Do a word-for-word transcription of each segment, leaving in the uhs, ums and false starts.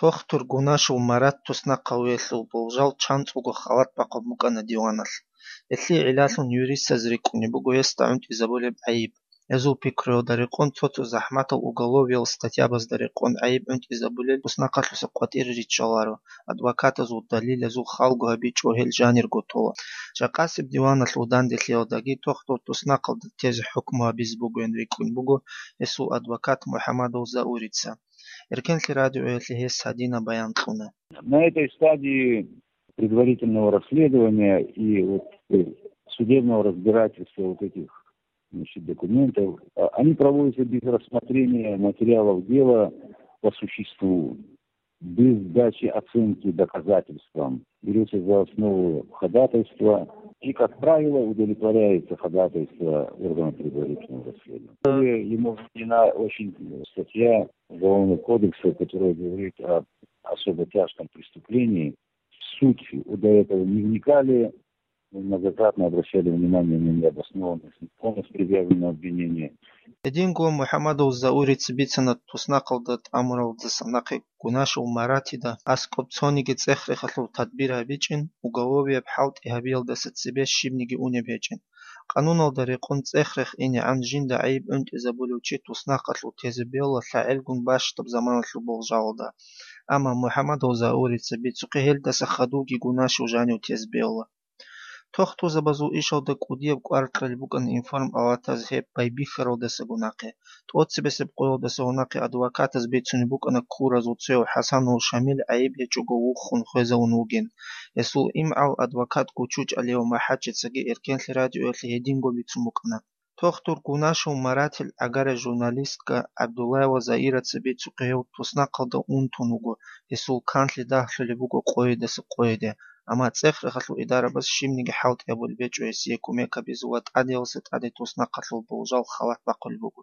Дохтур Гунашев Марат туснахъавиялъул болжал чанцӀулго халат бахъун букӀана диваналъ. Гьелъие гӀиллалъун юристаз рикӀкӀунеб буго гьесда гӀунтӀизабулеб гӀайиб. Гьезул пикруялда рекъон цо-цо захӀматал уголовиял статьябазда рекъон гӀайиб гӀунтӀизабулел туснахъалъуса къватӀире риччаларо, адвокатазул далилазул халго гьабичӀо гьел жанирго тола. Жакъасеб диваналъул данделъиялдаги Тохтур туснахъалда тезе хӀукму гьабизе бугоян рикӀкӀун буго гьесул адвокат МухӀамадов Заурица. Эркенлъи радиоялъе гьес гьадинаб баян кьуна. На этой стадии предварительного расследования и вот, э, судебного разбирательства вот этих, значит, документов, а, они проводятся без рассмотрения материалов дела по существу, без сдачи оценки доказательствам. Берется за основу ходатайство, и, как правило, удовлетворяется ходатайство органа предварительного расследования. Ему введена очень, э, статья Уголовного кодекса, которая говорит об особо тяжком преступлении. В суть до этого не вникали, многократно обращали внимание на необоснованность, законность предъявленного обвинения. Гьединго МухӀамадов Заурица бицана туснахъалда тӀамуралдаса нахъе Гунашев Маратида аскӀоб цониги цӀех-рехалъул тадбир гьабичӀин, уголовияб хӀалтӀи гьабиялдаса цебе щибниги унеб гьечӀин. Къануналда рекъон цӀех-рех инегӀан жинда гӀайиб гӀунтӀизабулев чи туснахъалъув тезе бегьула лъагӀелгун бащдаб заманалъул болжалалда. Амма МухӀамадов Заурица бицухъе гьелдаса хадувги Гунашев жанив тезе бегьула. Тохтурзабазул ишалда кӀудияб кӀвар кьел букӀана информпалатаз гьеб байбихьаралдаса гунахъе. ТӀоцебесеб къоялдаса гьунахъе адвокатаз бицунеб букӀана ккуразул цояв ХӀасанул Шамил гӀайиб гьечӀого вуххун хвезавун вугин. Гьесул имгӀал адвокат Гучуч Алиев МахӀачицаги Эркенлъи радиоялъе гьединго бицун букӀана. Тохтур Гунашев Маратил гӀагарай журналистка ГӀабдуллаева Заираца бицухъе гьев туснахъалда унтун вуго, гьесул канлъи дагьлъулеб буго къойидаса къойиде, амма цӀех-рехалъул идарабаз щибниги хӀалтӀи гьабулеб гьечӀо гьесие кумек гьабизе ва тӀадегӀлъиса тӀаде туснахъалъул болжал халат бахъулеб буго.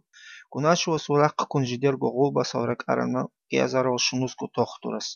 Гунашевасул рахъ ккун жидерго гъулбасал ракӀарана кӀиазарал шунусго тохтурас.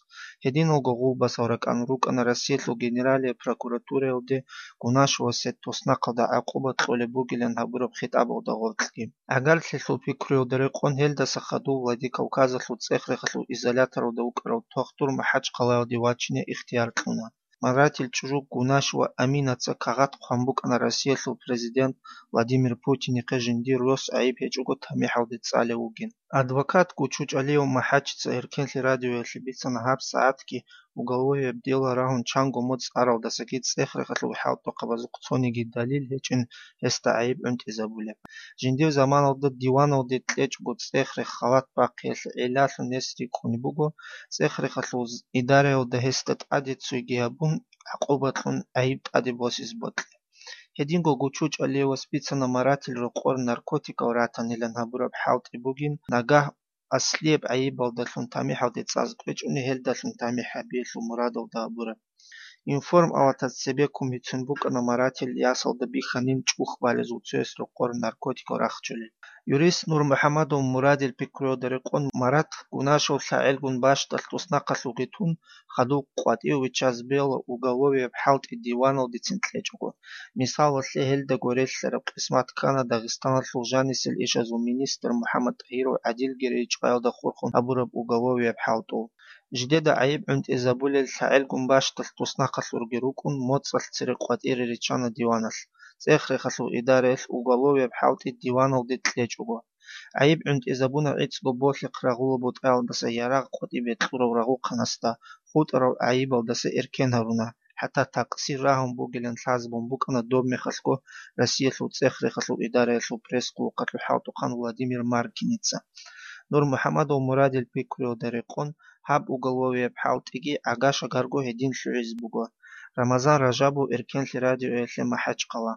Гьединалго гъулбасал ракӀан рукӀана Россиялъул Генералияб прокуратураялде Гунашевасе туснахъалда гӀакъуба кьолеб бугилан гьабураб хитӀабалда гъоркьги. ГӀагарлъилъул пикруялда рекъон гьелдаса хадув Владикавказалъул цӀех-рехалъул изоляторалда вукӀарав тохтур МахӀачхъалаялде вачине ихтияр кьуна. Маратил чӀужу Гунашева Аминаца кагъат хъван букӀана Россиялъул президент Владимир Путинихъе жиндир рос гӀайиб гьечӀого тамихӀалде цӀалев вугин. Адвокат Гучуч Алиев МахӀачица Эркенлъи радиоялъе бицана гьаб сагӀатги уголовияб дела рагьун чанго моцӀ аралдасаги цӀех-рехалъул хӀалтӀухъабазухъ цониги далил гьечӀин гьесда гӀайиб гӀунтӀизабулеб. Жиндир заманалда диваналде кьечӀого цӀех-рех халат бахъиялъе гӀиллалъун гьес рикӀкӀунеб буго, цӀех-рехалъул идараялда гьесда тӀаде цойги гьабун, гӀакъуба кьун гӀайиб тӀаде босизе бокьи. Гьединго Гучуч Алиевас бицана Маратил рокъор наркотикал ратанилан гьабураб хӀалтӀи бугин, нагагь аслияб гӀайибалдалъун тамихӀалде цӀаз кьвечӀони гьелдалъун тамихӀ гьабиялъул мурадалда гьабураб. Информалатаз цебеккун бицун букӀана Маратил ясалда бихьанин чӀухӀбалезул цояс рокъор наркотикал рахчулел. Юрист Нурмухьамадов Мурадил пикруялда рекъон Марат Гунашев лъагӀелгун бащдалъ туснахъалъулги тун, хадуб къватӀив виччазе бегьула уголовияб хӀалтӀи диваналдецин кьечӀого. Мисалалъе, гьелдаго релълъараб къисмат ккана Дагъистаналъул жанисел ишазул министр МухӀаммад ТӀагьиров ГӀадилгерей чӀваялда хурхун гьабураб уголовияб хӀалтӀул. Жидеда гӀайиб гӀунтӀизабулел лъагӀелгун бащдалъ туснахъалъурги рукӀун, моцӀалъ цере къватӀире риччана диваналъ, цӀех-рехалъул идараялъ уголовияб хӀалтӀи диваналде кьечӀого. ГӀайиб гӀунтӀизабуна гӀицӀго болъихъ рагъула бутӀаялдаса ярагъ къватӀибе кьурав рагъухъанасда, хутӀарал гӀайибалдаса эркен гьаруна, хӀатта такъсир рагьун бугилан лъазабун букӀана доб мехалъго Россиялъул цӀех-рехалъул идараялъул пресс-къулухъалъул хӀалтӀухъан Владимир Маркиница. Нурмухьамадов Мурадил пикруялда рекъон, гьаб уголовияб хӀалтӀиги гӀага-шагарго гьедин лъугӀизе буго. Рамазан Ражабов, Эркенлъи радиоялъе, МахӀачхъала.